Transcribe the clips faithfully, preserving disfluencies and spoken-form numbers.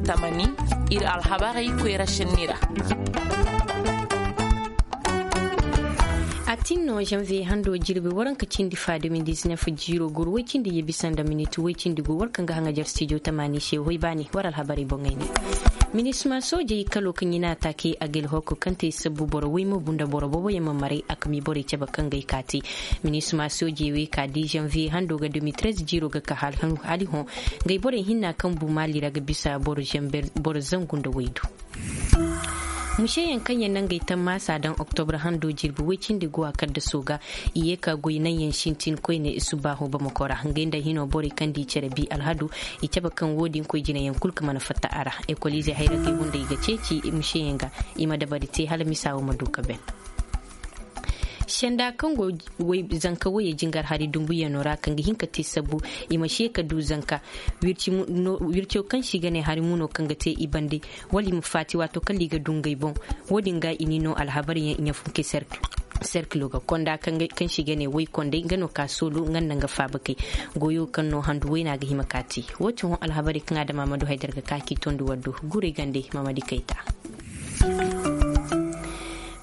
Tamani, ir alhabarey koyra šenni ra. A tin no, zanviye hando jirbi waranka cindi fa de mil diznef jiiro guru woy cindi ye bisa nda minit woy cindi gu war kaŋ ga haŋajar stijo tamani se hoy baani war alhabarey boŋey ne. Minisma soojey kalo kaŋ i na a taake agel hoko kaŋ te sabbu boro woy ma bu nda boro boboyaŋ ma maray a kami borey cabe kaŋ ga ay kaati. Minisma soojey wey ka di zanviye hando ga de mil trez jiiro ga ka hali hõ. Ngey borey hinna kaŋ bu maali ra ga bisa boro zangu nda waydu. Museyaŋ kaŋ yaŋ na ngey tammaasa daŋ oktobra hando jirbi woy cindi go a kaddaso ga, i ye ka goy naŋyaŋ sintin koyne subbaaho bamako ra ngey nda hino borey kaŋ di cere bi alhadu. I cabe kaŋ wo-din koy jinayaŋ kul ka mana fatta a ra. Ekoliizey hayragey hunday ga ceeci museyaŋ ga, i ma dabari te hala misa wo ma du ka ben. Senda kaŋ go zanka woyey jingar hari dumbuyaŋo ra kaŋ ga hin ka te sabbu, i ma se ka du zanka. Wirco kaŋ se i ga ne hari muno kaŋ ga te i bande, wala i ma faati waato kala i ga du ngey boŋ. Wo-din ga i ni no alhabaryaŋ i ɲafunke serkilo ga konda kaŋ se i ga ne woy kondey nga no ka soolu nga nda nga faaba kay. Goyo kaŋ no handu wayna ga hima ka te. Wo-din hõ alhabarey kaŋ adama ma du haydar ga ka k'i tondi war do. Guray gande mamadi kayta.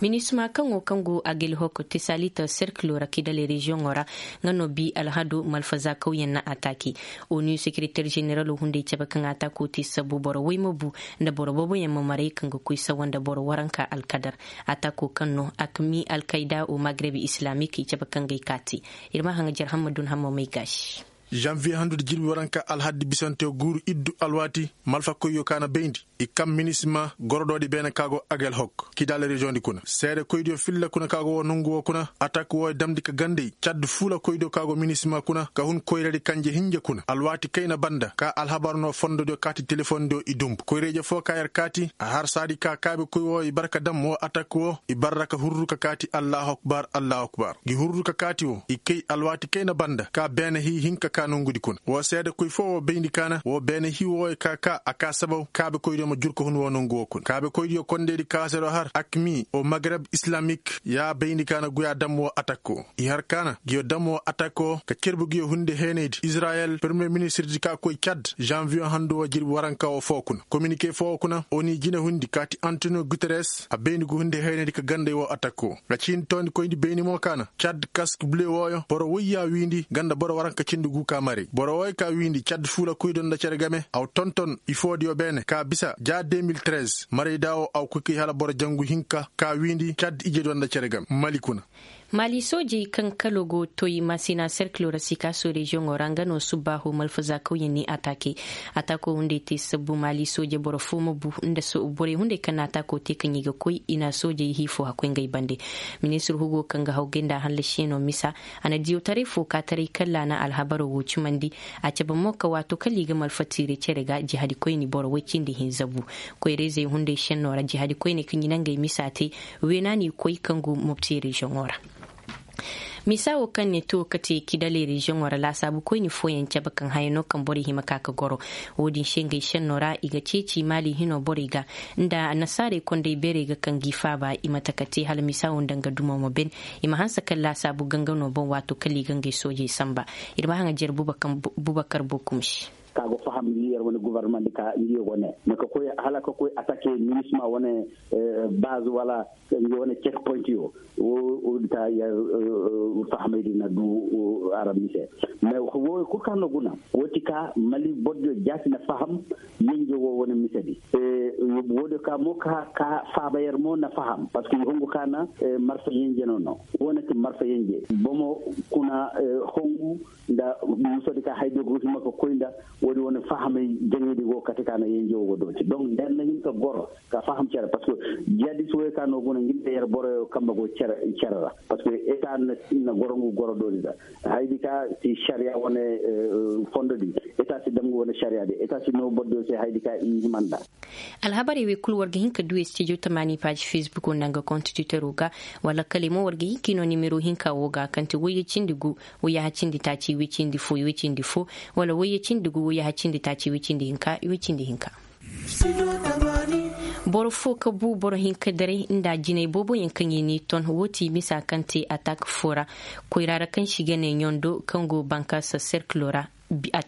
Minisma kaŋo kaŋ go agel hoko tesalita serkilo ra kidale reziyoŋo ra, nga no bi alhado malfaza kawyaŋ na ataki. Onu sekereter ženeralo hunday cabe kaŋ atako te sabbu boro woy ma bu, nda boro booboyaŋ ma maray kaŋ ga koy sawa nda boro waranka alkadar. Atako kaŋ no akmi alkayda o magreb islamik i cabe kaŋ ga ay kaati. Ir ma haŋajer hammadun hamma may gaasi. Zanviye handu da jirbi waranka alhaddi bisante guuru iddu alwaati malfa koyyo ka na bayndi. I kam minisima gorodoodi beene ka go agel hok kidal reziyoŋdi kuna seede koydiyo filla kuna ka go woo nongu woo kuna atak woo damndi ka gandey cad fuula koydiyo ka go minisima kuna ka hun koyradi kanje hinja kuna alwaati kayna banda ka alhabar no fondodiyo kaati telefondiyo i dumbu koyrayje foo ka yer kaati a har saadi ka kaabe koy woo i bar ka dam woo atak woo i bar ra ka hurru ka kaati allahu akbar allahu akbar. Ngi hurru ka kaati woo i kay alwaati kayna banda ka beene hii hinka ka nongudi kuna woo seede koy foo woo bayndi kaana woo beene hii wooyo ka kaa a kaa sabaw kaabe koydiyo ma jur ka hun woo nongu woo kuna kaabe koydiyo kondeedi kaasero har akmi o magreb islamik yaa bayndi kaana guyaa dam woo atak woo i har kaana nguyo dam woo atak woo ka cerbu nguyo hunde heenaydi izrayel permiye ministirdi ka koy cad zanviyo handu woo jirbi waranka woo foo kuna kominike foo woo kuna oni jine hundi kaati antoniyo guteres a bayndi ngu hunde heenaydi ka ganday woo atak woo. Nga ciindi toondi koyndi bayndi mo kaana cad kask bule wooyo boro woyyaa wiindi nga nda boro waranka cindi gu ka maray boro wooyo ka wiindi cad fuula koydo nda cere game aw tonton ifoodiyo beene ka bisa ja de mil trez marayda woo aw koy kay hala boro jangu hinka ka wiindi cad ijediyo nda cere game mali kuna. Maali soojey kaŋ kalo go toy masina serkilo ra sikaaso reziyoŋo ra nga no subbaahu malfaza kawyaŋ ni ataake. Ataako hunday te sabbu maali sooje boro foo ma bu nda borey hunday kaŋ na ataako te kaŋ i ga koy i na soojey hii foo hakkoy ngey bande. Ministir hugo kaŋ ga hawgay nda hallasiyaŋo misa a na diyawtaray foo ka taray kalla na alhabaro woo cimandi. A cabe mo ka waato kala i ga malfa tiire cere ga jihadikoyni boro woy cindi hinza bu. Koyra-izey hunday šennoo ra jihadikoyney kaŋ i na ngey misa te. Weena n'i koy kaŋ go mopti reziyoŋo ra. Misa woo kaŋ ne to kate kidaley reziyoŋo ra laasaabu koyni fooyaŋ cabe kaŋ haya no kaŋ borey hima ka ka goro. Woo din se ngey šennoo ra i ga ceeci maali hinoo borey ga nda annasaarey kondey beerey ga kaŋ g'i faaba i ma taka te hala misa woo nda nga dumo ma ben. I ma hanse kaŋ laasaabu ganga no boŋ waato kala i ga ngey soojey sanba. Ir ma haŋajer bubakar bokum se. Ka go faham yer wane guvarnamandi ka ngi yogo ne ma ka koy hala ka koy atake minisma wane baz wala ngi wane cek pointi yo. Wo ta yer fahamay di na du arab mise. Mais wo kul ka no guna wo ti ka mali boddo jaati na faham yenje wo wane mise di. Wo de ka mo ka ka faba yer mo na faham parce que hongu kana marfa yenje no no wo na ti marfa yenje bomo kuna hongu nda musodi ka hayde go hima ka koy nda. Wodi woni fahamay jaŋedi go kate ka na yenje wo go dooti donc nder na hin ka goro ka faham cere parce que jihadis woy ka no go na nginde yer boroyo kamba go cere ra parce que eta na goro ngu goro doodi da haydi ka si shariya wone fondo di eta si damgu wone shariya di eta si no boddo se haydi ka i himanda. Alhabarey wey kul war ga hin ka du studio tamaani paaji facebook nda nga konstitutero ga wala kale mo war ga hin ka i no nimero hinka wo ga kaŋ ti wayye cindi gu wayye ha cindi taaci wayye cindi fo wayye cindi fo wala wayye cindi gu wayye ha cindi taaci wayye cindi hinka wayye cindi hinka. Boro fo ka bu boro hinka daray nda jinay booboyaŋ kaŋ i n'i ton wo ti misa kaŋ te atak fo ra koyra ra kaŋ si ga ne ɲondo kaŋ go bankaasa serkilo ra.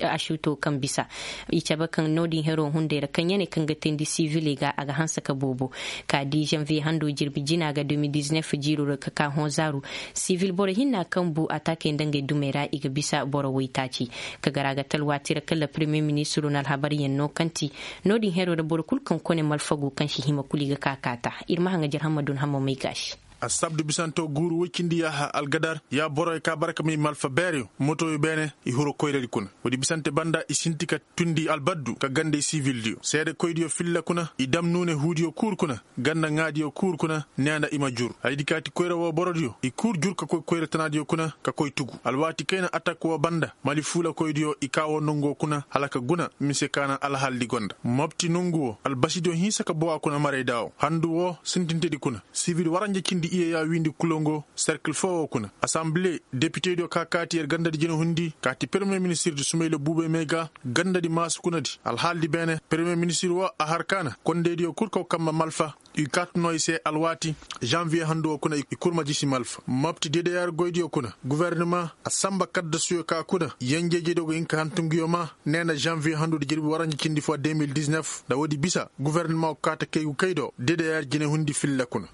Asuuto kaŋ bisa i cabe kaŋ no-din hero hunday ra kaŋ ya ne kaŋ ga teendi siviley ga a ga hanse ka boobo. Ka di zanviye hando jirbi jina ga de mil diznef jiiro ra ka ka hõ zaaru. Sivil boro hinna kaŋ bu ataakey nda ngey dumey ra i ga bisa boro waytaaci. Ka gar a ga talwaati ra kala premiyer ministiro na alhabaryaŋ no kaŋ ti no-din hero ra boro kulu kaŋ kone malfagu kaŋ si hima kulu i ga ka kaata. Ir ma haŋajer hamma dun hamma may gaasi. Assabdu bisanto guuru woy cindi yaaha algadar ya borey ka bara ka may malfa beereyo motoyo beene i huru koyradi kuna. Woodi bisante banda i sinti ka tundi albaddu ka gandey sivildiyo seedekoydiyo filla kuna i dam nuune huudiyo kuur kuna. Ganda ŋaadiyo kuur kuna neena i ma jur haydi kaati koyra woo borodiyo i kuur jur ka koy koyra tanaadiyo kuna ka koy tugu alwaati kayna atak woo banda mali fuulakoydiyo i kaa woo nongu woo kuna hala ka guna mise ka na alhaldi gonda mopti nongu woo albasidiyo hinsa ka bowa kuna marayda woo handu woo sintintedi kuna. Sivil waranja cindi iyeyaa wiindi kulongo serkil foo woo kuna asanbile depitediyo ka kaati yer gandadi jinahundi kaati peremiye ministirdi sumayla buubey may ga gandadi maasu kunadi alhaaldi beene peremiye ministir woo a har ka na kondeydiyo kul kaw kamma malfa. I kaati noo i se alwaati zanviye handu woo kuna i kul ma jisi malfa mopti dedeyaar goydiyo kuna. Gofornima a sanba kaddasuyo ka kuna yenjeejediyo ga hin ka hantunguyo maa nee na zanviye handudi jirbi waranja cindi foo de mil diznef nda woodi bisa gofornima woo kaata kay gu kay do dedeyaar jinehundi filla kuna.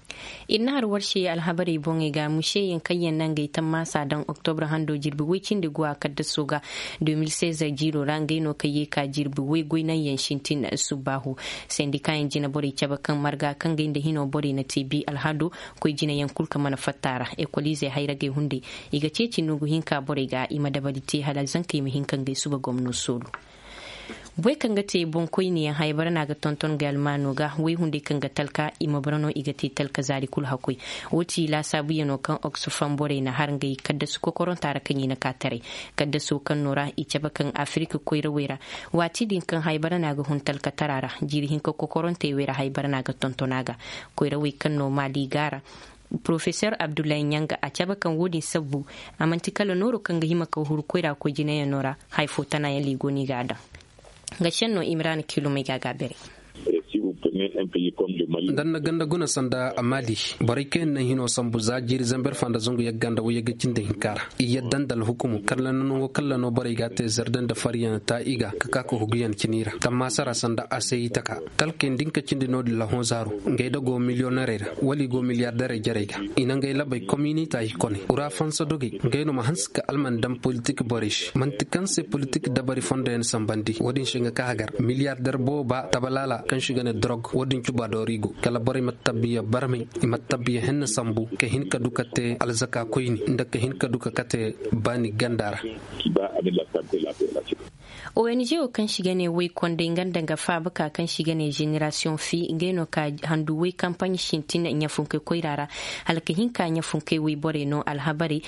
Ir na har war se alhabarey boŋey ga museyaŋ kaŋ yaŋ na ngey tammaasa daŋ oktobra hando jirbi woy cindi guwa kaddaso ga de mil sez jiiro ra ngey no kaŋ yee ka jirbi woy goy naŋ yaŋ sintin. Subbaahu sendikaayaŋ jinaborey cabe kaŋ marga kaŋ gay nda hinoo borey na te bi alhado koy jinayaŋ kul kaŋ mana fatta a ra ekoliizey hayragey hunday. I ga ceeci nugu hinka borey ga i ma dabari te hala zankey ma hin ka ngey suba gomno soolu. Boy kaŋ ga te boŋkoyniyaŋ haybara no a ga tonton gay almaano ga woy hunday kaŋ ga talka i ma bara no i ga te talka zaari kulu hakkoy. Woo ti laasaabuyanoo kaŋ oksufam borey na har ngey kaddasu kokoronta ra kaŋ i na ka taray. Kaddaso kaŋ no ra i cabe kaŋ afirik koyrawey ra. Waati din kaŋ haybara no a ga hun talkatara ra jiiri hinka kokorontey wey ra haybara no a ga tonton a ga. Koyrawey kaŋ no maali ga ra porofesor abdullahi ɲanga a cabe kaŋ woo din sabbu a man'ti kala nooro kaŋ ga hima ka huru koyra koy jinayanoo ra. Haya fo tanayaŋ liigo no i ga a daŋ. Nga senno imrana kilomey ga a ga a beray. Nda ni na ganda guna sanda a maali borey kaŋ yaŋ na hino sambu za jiiri zamber fa nda zangu yagga nda wayyagga cindi hinka ra. I yadda nda alhukumu kalla no nango kalla no borey ga a te zarde nda faryaŋ ta i ga ka ka ka huguyaŋ cini ra tammaasa ra sanda a se i taka. Talkey nda hinka cindi no-din lahõ zaaru ngey da go miliyonerey ra wala i go miliyarderey jarey ga. I na ngey labey kominita i kone ura fansa dogey ngey no ma hanse ka alman daŋ politik borey se man'ti kaŋ se politik dabari fondoyaŋ sambandi woo din se nga ka hagar miliyarder booba tabalaala kaŋ se i ga ne dorog woo din cuba doorigo kala borey ma tabbiya barmey i ma tabbiya henna sambu ka hin ka du ka te alzaka koyni nda ka hin ka du ka kate baani ganda ra. Ong woo kaŋ se i ga ne woy konday nga nda nga faaba ka kaŋ se i ga ne ženerasiyoŋ fi ngey no ka handu woy kampaɲ sintin ɲafunkey koyra ra. Hala ka hin ka ɲafunkey woy borey no alhabarey.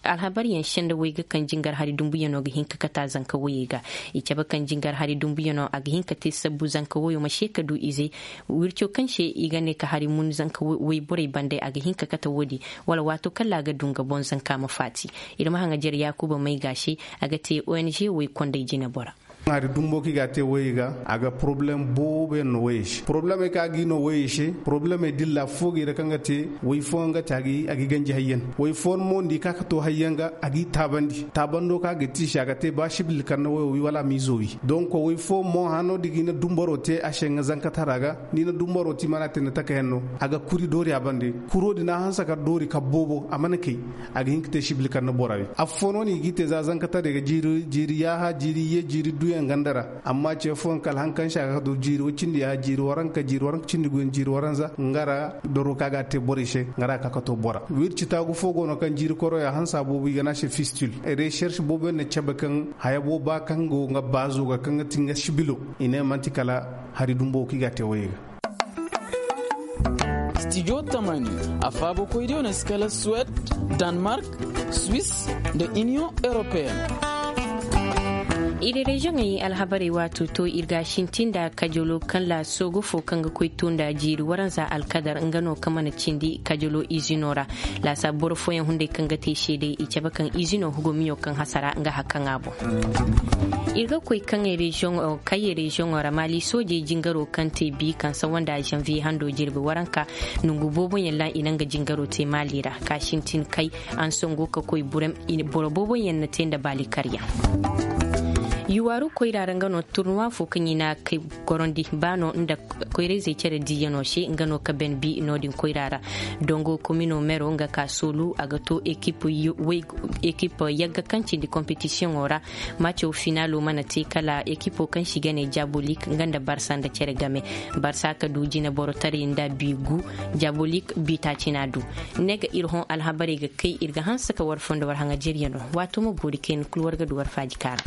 Alhabaryaŋ senda woy ga kaŋ jingar hari dumbuyanoo ga hin ka kate a zanka woyey ga. I cabe kaŋ jingar hari dumbuyanoo a ga hin ka te sabbu zanka woyoo ma se ka du ize. Wirco kaŋ se i ga ne ka hari mun zanka woy borey bande a ga hin ka kate woodi. Wala waato kala a ga du nga boŋ zanka ma faati. Ir ma haŋajer yaakuba may ga se. A ga te ong woy kondey jinebora. Hari dumbo kaŋ i ga a te woyey ga a ga poroblem boobo yaŋ no woyey se poroblem ay kaŋ a ga i no woyey se poroblem ay dilla foo ga i ra kaŋ ga te woy fooyaŋ ga te a ga i ganji hayyaŋ. Woy fooyaŋ mo nda i ka ka to hayyaŋ ga a ga i taabandi taabando kaŋ a ga te i se a ga te ba sibil kar na woyo wi wala a ma i zo wi donk woy fooyaŋ mo hano da i ga i na dumbaro te a se nga zankatara ga. Ni na dumbaro te i mana te ni taka yaŋ no a ga kuri doori a bande. Kuro din a hanse kar doori kar boobo a mana kay. A ga hin ka te sibil kar na bora wi affoo no no i g'i te za zankataray ga jiiri yaaha jiiri iyye jiiri duyaŋ ganda ra. Amma ce fooyaŋ kala han kaŋ se a ga ka du jiiri woy cindi yaaha jiiri waranka jiiri waranka cindi guyaŋ jiiri waranza nga ra. Doro kaŋ a ga a te borey se nga ra a ga ka ka to bora wirci taagu fo go no kaŋ jiiri koroya hansa boobo i ga ne a se fistil. Reserš boobo yaŋ na cabe kaŋ haya booba kaŋ go nga baazo ga kaŋ ga ti nga sibilo. I ne man'ti kala hari dumbo kaŋ i ga a te woyey ga. Stijo tamani a faabakoydiyo na si kala suwed, danmark, swis, nda iniyoŋ europeen. Ir reziyoŋey alhabarey waato to ir ga a sintin nda kajalo kaŋ la soogo fo kaŋ ga koy to nda jiiri waranza alkadar nga no kaŋ mana cindi kajalo izino ra. Laasa boro fooyaŋ hunday kaŋ ga te seeday i cabe kaŋ izino hugumiyo kaŋ hasara nga hakaŋa boŋ. Ir ga koy kaŋ ay reziyoŋo ra maali soojey jingaro kaŋ te bi kaŋ sawa nda zanviye hando jirbi waranka, nongu booboyaŋ ra i na nga jingaro te maali ra ka sintin kay. Ansango ka koy boro booboyaŋ na te nda baali karyaŋ. Yuwaaru koyra ra nga no turnuwa fo kaŋ i na kay gorandi ba no nda koyrayzey cere diiyano se nga no ka ben bi no- din koyra ra. Dongo komino mero nga ka soolu a ga to ekip yagga kaŋ cindi kompetisiyoŋo ra. Maco finaalo mana te kala ekipo kaŋ se i ga ne jabolik nga nda barsa nda cere game. Barsa ka du jineborotaray nda bi gu, jabolik bi taaci na du. Ne ga ir hõ alhabarey ga kay ir ga hanse ka war fondo war haŋajeriyano. Waato ma boori kayna kul war ga du war faaji kaara.